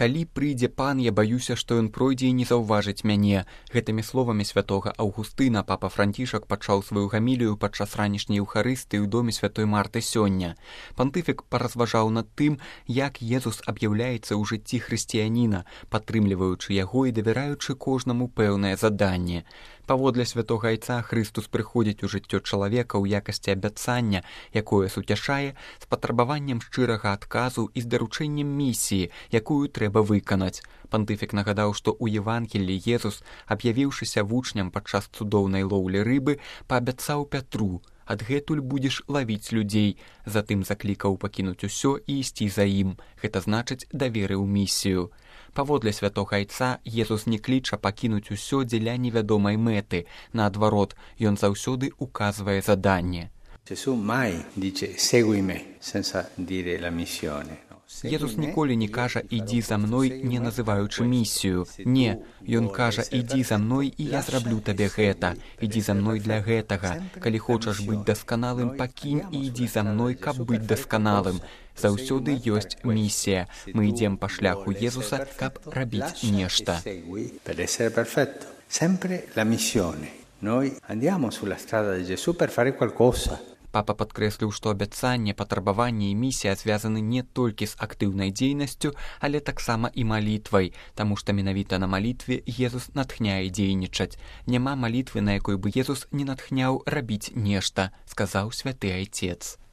Калі прыйдзе пан, я баюся, што ён пройдзе і не заўважыць мяне. Гэтымі словамі святога Аўгустына папа Францішак пачаў сваю гамілію падчас ранішняй еўхарыстыі ў доме святой Марты сёння. Пантыфік паразважаў над тым, як Езус аб'яўляецца ў жыцці хрысціяніна, падтрымліваючы яго і давяраючы кожнаму пэўнае заданне. Паводле святога Айца Хрыстус прыходзіць у жыццё чалавека ў якасці абяцання, якое суцяшае з патрабаваннем шчырага адказу і з даручэннем місіі, якую трэба выканаць. Пантыфік нагадаў, што ў Евангеллі Езус, аб'явіўшыся вучням падчас цудоўнай лоўлі рыбы, паабяцаў Пятру: «Адгэтуль будзеш лавіць людзей». Затым заклікаў пакінуць усё і ісці за ім. Гэта значыць, даверыў місію. Паводле святога Айца Езус не кліча пакінуць усё дзеля невядомай мэты. Наадварот, ён заўсёды указвае заданне. Gesù mai dice segui me senza dire la missione. Езус ніколі не кажа «ідзі за мной», не называючы місію. Не, ён кажа «ідзі за мной, і я зраблю табе гэта. Ідзі за мной для гэтага. Калі хочаш быць дасканалым, пакінь і ідзі за мной, каб быць дасканалым». Заўсёды ёсць місія. Мы ідзем па шляху Езуса, каб рабіць нешта. Sempre la missione. Noi andiamo sulla strada di Gesù per fare qualcosa. Папа падкрэсліў, што абяцанне, патрабаванне і місія звязаны не толькі з актыўнай дзейнасцю, але таксама і малітвай, таму што менавіта на малітве Езус натхняе дзейнічаць. Няма малітвы, на якой бы Езус не натхняў рабіць нешта, сказаў святы Айцец.